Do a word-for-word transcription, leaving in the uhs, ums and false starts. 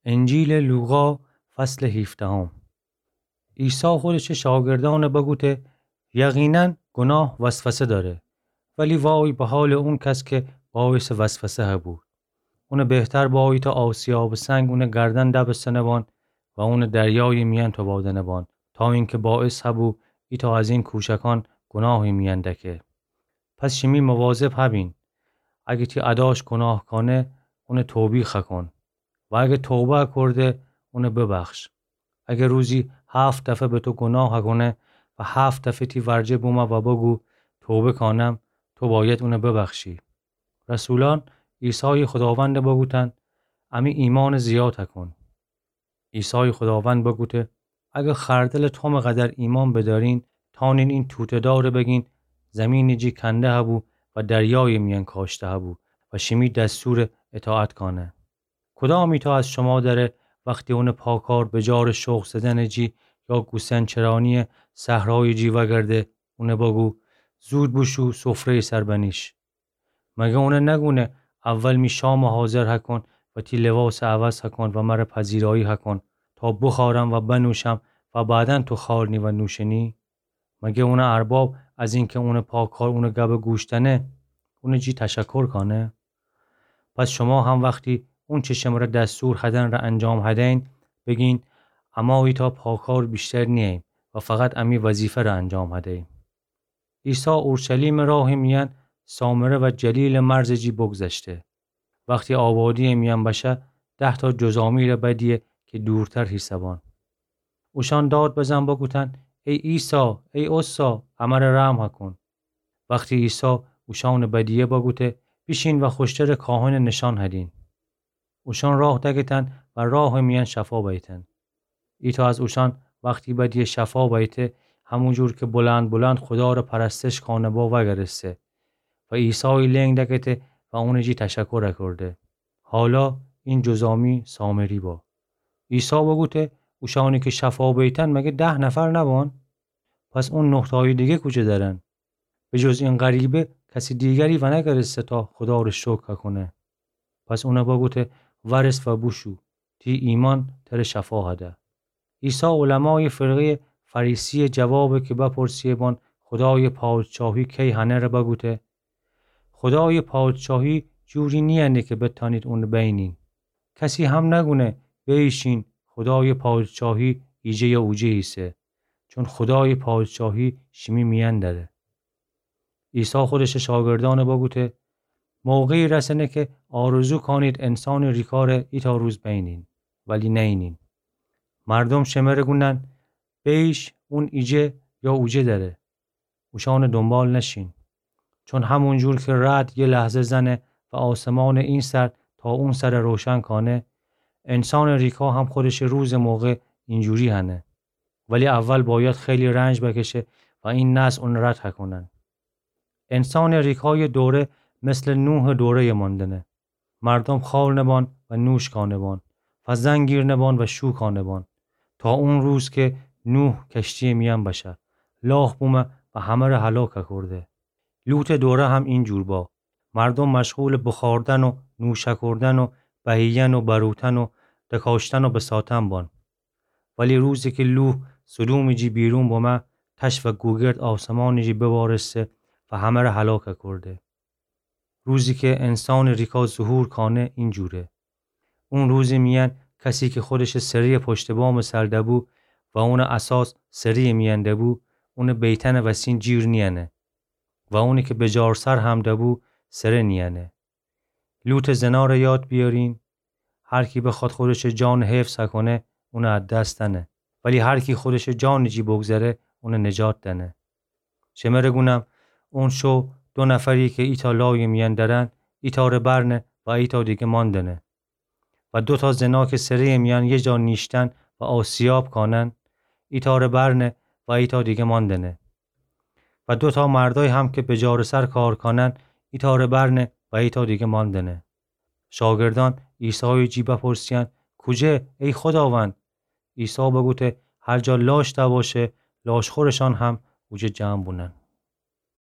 انجیلٚ لوقا، فصلٚ هیفدهم. عیسی خودشٚ شاگردأن بگوته: یقیناً گناه وسوسه دأره، ولی وای به حالٚ اون کس کی باعثٚ وسوسه هبو. اونٚ بهتر بأ ایتأ آسیابٚ سنگ اونٚ گردن دبستنه بان و اونٚ دریایٚ میأن توبادنه بان، تا اینکه باعث هبو ایتأ از این کوچکأن گناهٚ میأن دکه. پس شیمی مواظب هبین. اگه تی اداش گناه کانه، اون توبیخ کن. و اگه توبه کرده، اون ببخش. اگه روزی هفت دفعه به تو گناه کونه و هفت دفعه تی ورجه بومه و بگو: توبه کانم، تو باید اون ببخشی. رسولأن عیسایٚ خداوند بگوتن: امی ایمأن زیاد کن. عیسایٚ خداوند بگوته: اگه خردلٚ تومٚ قدر ایمأن بدأرین، تأنین این توته‌دار بگین: زیمینٚ جی کنده هبو و دریایٚ میأن کاشته هبو و شیمی دستور اطاعت کانه. کدام ایتأ از شما دأره وختی اونٚ پاکار به جارٚ شخم زدنٚ جی یا گوسفند چرانیٚ صحرایٚ جی وأگرده، اون بگو: زود بوشو سفره‌یٚ سر بنیش؟ مگه اون نگونه: اول می شامٚ حاضر کون و تی لباسٚ عوض کون و مر پذیرایی کون، تا بخورم و بنوشم و بعداً تو خورنی و نوشنی؟ مگه اونٚ ارباب از اینکه اونٚ پاکار اونٚ گب گوش دنه، اونٚ جی تشکر کانه؟ پس شما هم وختی اونچه شمر دستور هدن ره انجام هدین، بگین: اما ایتأ پاکار بیشتر نییم و فقط امی وظیفه ره انجام هدیم. عیسی اورشلیمٚ راهٚ میأن سامره و جلیلٚ مرزٚ جی بگذشته. وختی آبادی‌یٚ میأن بشه، ده‌تأ جذامی ره بدیه کی دورتر هیسه بان. اوشأن داد بزن بگوتن: ای عیسی، ای عصی، امر رحم کون. وختی عیسی اوشأن بدیه بگوته: بیشین و خوشترٚ کاهنٚ نشأن هدین. اوشأن راه دکتن و راهٚ میأن شفا بیتن. ایتأ از اوشأن وختی بدیه شفا بیته، همون جور کی بلند بلند خدا ره پرستش کانه با وأگرسته و عیسایٚ لنگ دکته و اونٚ جی تشکر کرده. حالا این جذامی سامری با. عیسی بگوته: اوشأنی کی شفا بیتن مگه ده نفر نبان؟ پس اون نه‌تأیٚ دیگه کوجه دأرن؟ به جز این غریبه کسٚ دیگری ونگرسته تا خدا ره شکر کونه. پس اون بگوته: ورس و بوشو، تی ایمأن تر شفا هده. عیسی علمایٚ فرقه‌یٚ فریسی‌یٚ جوابه کی بپرسیه بان خدایٚ پادشاهی کی هنه ره بگوته: خدایٚ پادشاهی جوری نیأنه کی بتأنید اون بینین. کسی هم نگونه: بیشین، خدایٚ پادشاهی ایجه یا اوجه ایسه. چون خدایٚ پادشاهی شیمی میأن دره. عیسی خودشٚ شاگردأن بگوته: موقعی رسنه کی آرزو کانید انسانٚ ریکا ره ایتأ روز بینین، ولی نینین. مردم شمره گونن: بیش، اون ایجه یا اوجه دره. اوشأنٚ دونبال نشین. چون همون جور کی رعد یه لحظه زنه و آسمانٚ این سر تا اون سر روشن کانه، انسانٚ ریکا هم خودشٚ روزٚ موقع اینجوری هنه. ولی اول باید خیلی رنج بکشه و این نسل اون رد هکونن. انسانٚ ریکایٚ دوره مثلٚ نوحٚ دوره‌یٚ ماندنه. مردم خأر نبان و نوش کانبان و زن گیر نبان و شو کانبان، تا اون روز کی نوح کشتیٚ میأن بشه، لاخ بومه و همره هلاک کرده. لوطٚ دوره هم این جور با. مردم مشغولٚ بخوردن و نوش کردن و بهییأن و بروتن و دکاشتن و بساتن بان. ولی روزی کی لوح سدومٚ جی بیرون بمه، تش و گوگرد آسمانٚ جی ببارسته و همره هلاک کرده. روزی کی انسانٚ ریکا ظهور کانه این جوره. اون روزٚ میأن کسی کی خودشٚ سره‌یٚ پشتٚ بامٚ سر دبو و اونٚ اساس سره‌یٚ میأن دبو، اونٚ بیتأنٚ وسین جیر نیأنه و اونی کی بجار سر هم دبو، سره نیأنه. لوطٚ زنأره یاد بیأرین. هر کی بخواد خودشٚ جانٚ حفظ کونه، اون از دست دأنه. ولی هر کی خودشٚ جانٚ جی بگذره، اون نجات دأنه. شمره گونم، اون شو دو نفری کی ایتأ لایٚ میأن درن، ایتأره برنه و ایتأ دیگه ماندنه. و دوتأ زنا کی سره‌یٚ میأن یه جا نیشتن و آسیاب کانن، ایتأره برنه و ایتأ دیگه ماندنه. و دوتأ مردأی هم کی بجارٚ سر کار کانن، ایتأره برنه و ایتأ دیگه ماندنه. شاگردأن عیسایٚ جی بپرسیأن: کوجه، ای خوداوند؟ عیسی بگوته: هر جا لاش دباشه، لاشخورشأن هم اوجه جمع بونن.